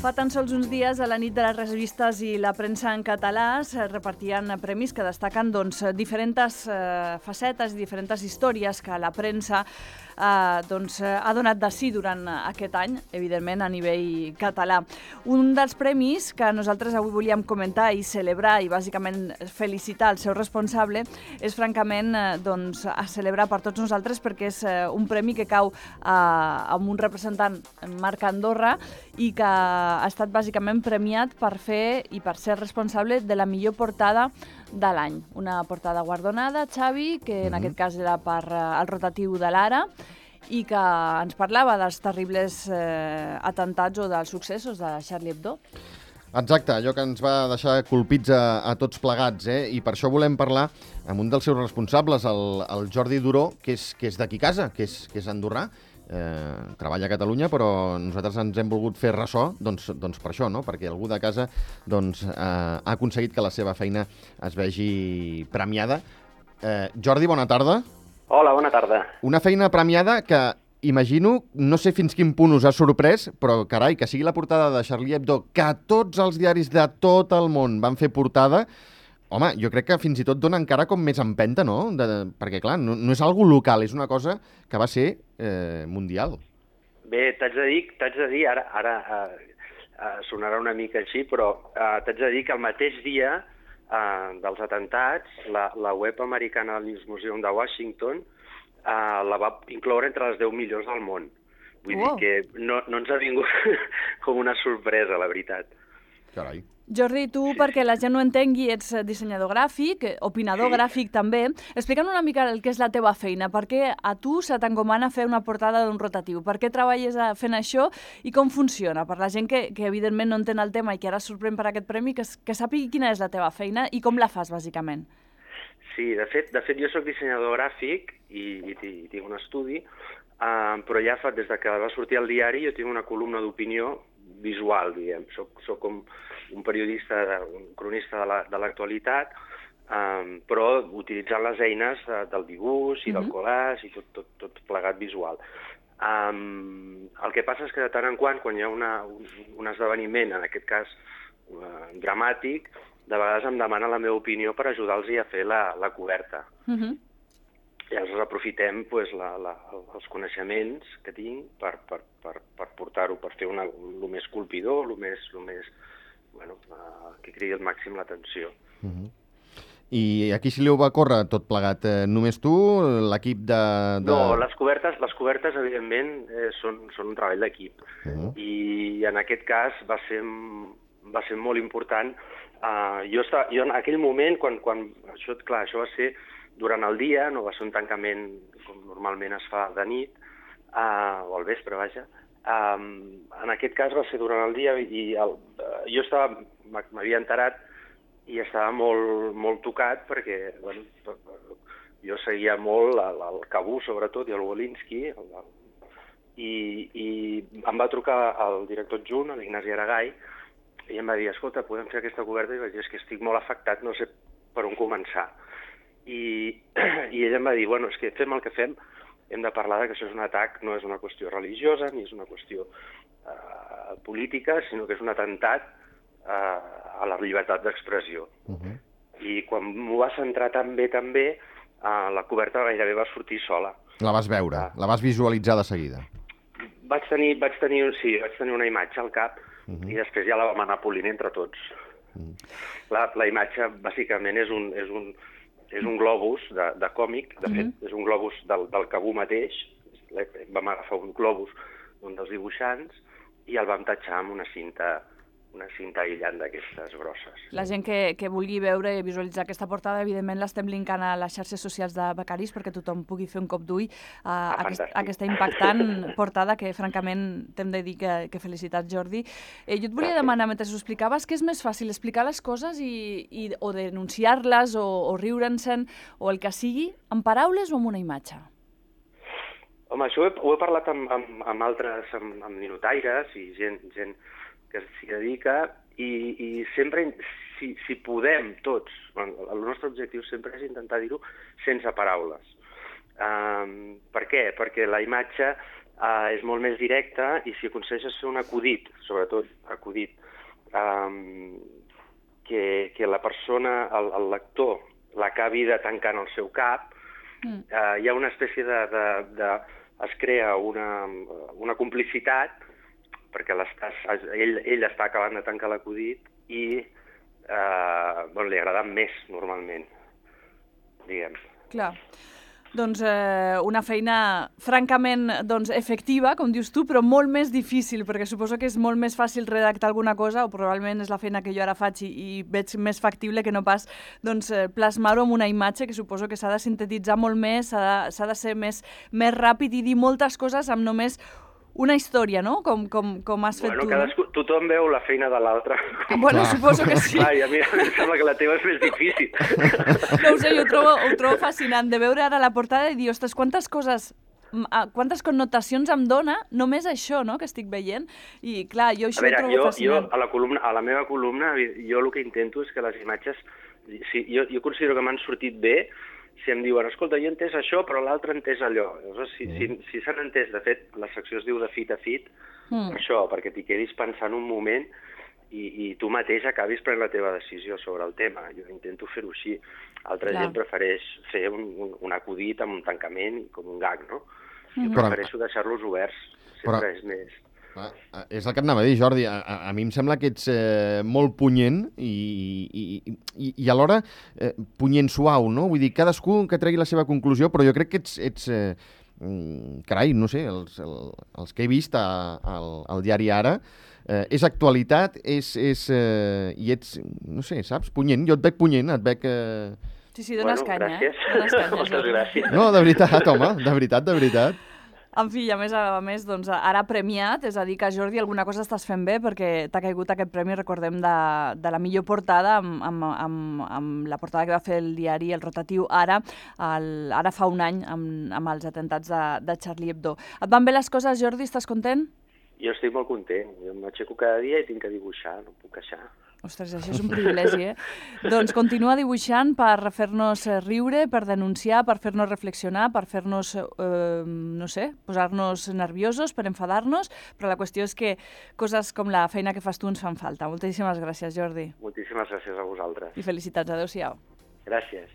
Fa tan sols uns dies, a la nit de les revistes i la premsa en català, es repartien premis que destaquen diferents facetes i diferents històries que la premsa ha donat de si durant aquest any, evidentment a nivell català. Un dels premis que nosaltres avui volíem comentar i celebrar i bàsicament felicitar el seu responsable és francament a celebrar per tots nosaltres, perquè és un premi que cau amb un representant, Marc Andorra, i que ha estat bàsicament premiat per fer i per ser responsable de la millor portada de l'any. Una portada guardonada, Xavi, que en aquest cas era per el rotatiu de l'Ara, i que ens parlava dels terribles atemptats o dels successos de Charlie Hebdo. Exacte, allò que ens va deixar colpits a tots plegats, i per això volem parlar amb un dels seus responsables, el Jordi Duró, que és d'aquí casa, que és andorrà. Treballa a Catalunya, però nosaltres ens hem volgut fer ressò doncs per això, no? Perquè algú de casa ha aconseguit que la seva feina es vegi premiada. Jordi, bona tarda. Hola, bona tarda. Una feina premiada que, imagino, no sé fins quin punt us ha sorprès, però carai, que sigui la portada de Charlie Hebdo, que tots els diaris de tot el món van fer portada. Home, jo crec que fins i tot dona encara com més empenta, no? Perquè, clar, no és algo local, és una cosa que va ser mundial. Bé, t'haig de dir, ara sonarà una mica així, però t'haig de dir que el mateix dia dels atemptats, la web americana del News Museum de Washington la va incloure entre les 10 millors del món. Vull dir que no ens ha vingut com una sorpresa, la veritat. Carai. Jordi, tu, perquè la gent no entengui, ets dissenyador gràfic, opinador gràfic també. Explica'm una mica el que és la teva feina. Per què a tu se t'encomana fer una portada d'un rotatiu? Per què treballes fent això i com funciona? Per la gent que evidentment no entén el tema i que ara es sorprèn per aquest premi, que sàpigui quina és la teva feina i com la fas, bàsicament. Sí, de fet jo soc dissenyador gràfic i tinc un estudi, però ja des de que va sortir al diari jo tinc una columna d'opinió visual, diguem. Soc com un periodista, un cronista de l'actualitat, però utilitzant les eines del dibuix i del collage i tot plegat visual. El que passa és que de tant en quan hi ha un esdeveniment, en aquest cas dramàtic, de vegades em demana la meva opinió per ajudar-los a fer la coberta. Llavors aprofitem els coneixements que tinc per portar-ho, per fer el més colpidor, el més que cridi al màxim l'atenció. I aquí si li ho va córrer tot plegat? Només tu, l'equip de... No, les cobertes evidentment, són un treball d'equip. I en aquest cas va ser molt important. Jo en aquell moment, quan això va ser durant el dia, no va ser un tancament com normalment es fa de nit, o al vespre, vaja. En aquest cas va ser durant el dia i jo m'havia enterat i estava molt tocat perquè jo seguia molt el Cabú, sobretot, i el Wolinski, i em va trucar el director adjunt, l'Ignasi Aragai, i em va dir, escolta, podem fer aquesta coberta? I vaig dir, és que estic molt afectat, no sé per on començar. I ell em va dir, bueno, és que fem el que fem, hem de parlar que això és un atac, no és una qüestió religiosa, ni és una qüestió política, sinó que és un atemptat a la llibertat d'expressió. I quan m'ho va centrar tan bé, la coberta gairebé va sortir sola. La vas veure, la vas visualitzar de seguida. Vaig tenir una imatge al cap i després ja la vam anar polint entre tots. La imatge, bàsicament, és un globus de còmic, de fet, és un globus del Cabú mateix. Vam agafar un globus d'un dels dibuixants i el vam tatxar amb una cinta aïllant d'aquestes grosses. La gent que vulgui veure i visualitzar aquesta portada, evidentment l'estem linkant a les xarxes socials de Becaris perquè tothom pugui fer un cop d'ull a aquesta impactant portada que, francament, t'hem de dir que felicitats, Jordi. Jo et volia demanar, mentre ho explicaves, que és més fàcil explicar les coses o denunciar-les o riure'n-se'n o el que sigui, amb paraules o amb una imatge? Home, això ho he parlat amb altres, amb ninotaires i gent que s'hi dedica i sempre, si podem tots, el nostre objectiu sempre és intentar dir-ho sense paraules. Per què? Perquè la imatge és molt més directe, i si aconsegueixes fer un acudit, sobretot acudit, que la persona, el lector, l'acabi de tancar en el seu cap, hi ha una espècie es crea una complicitat, perquè ell està acabant de tancar l'acudit i li agrada més, normalment, diguem. Clar. Doncs una feina francament efectiva, com dius tu, però molt més difícil, perquè suposo que és molt més fàcil redactar alguna cosa, o probablement és la feina que jo ara faig i veig més factible que no pas plasmar-ho en una imatge, que suposo que s'ha de sintetitzar molt més, s'ha de ser més ràpid i dir moltes coses amb només una història, no? Com has fet tu. Tothom veu la feina de l'altre. Bueno, suposo que sí. Clar, i a mi em sembla que la teva és més difícil. No ho sé, ho trobo fascinant de veure ara la portada i dir, ostres, quantes connotacions em dona només això, no?, que estic veient. I clar, jo això ho trobo fascinant. A la meva columna, jo el que intento és que les imatges... Jo considero que m'han sortit bé si em diuen, escolta, jo he entès això, però l'altre ha entès allò. Llavors, si s'han entès, de fet, la secció es diu de fit a fit, per això, perquè t'hi quedis pensant un moment i tu mateix acabis prenent la teva decisió sobre el tema. Jo intento fer-ho així. Altra gent prefereix fer un acudit amb un tancament, com un gag, no? Jo prefereixo deixar-los oberts, sempre és més... És el que et anava a dir, Jordi. A mi em sembla que ets molt punyent i alhora punyent suau, no? Vull dir, cadascú que tregui la seva conclusió, però jo crec que ets carai, no sé, els que he vist al diari Ara, és actualitat, i ets, no sé, saps, punyent. Jo et veig punyent, et veig... Sí, dones canya, gràcies. Moltes gràcies. No, de veritat, home, de veritat. En fi, a més, doncs, ara premiat, és a dir, que Jordi, alguna cosa estàs fent bé perquè t'ha caigut aquest premi, recordem, de la millor portada, amb la portada que va fer el diari, el rotatiu Ara fa un any, amb els atemptats de Charlie Hebdo. Et van bé les coses, Jordi? Estàs content? Jo estic molt content. Jo m'aixeco cada dia i tinc que dibuixar, no puc queixar. Ostres, això és un privilegi, Doncs continua dibuixant per fer-nos riure, per denunciar, per fer-nos reflexionar, per fer-nos, no sé, posar-nos nerviosos, per enfadar-nos, però la qüestió és que coses com la feina que fas tu ens fan falta. Moltíssimes gràcies, Jordi. Moltíssimes gràcies a vosaltres. I felicitats. Adéu-siau. Gràcies.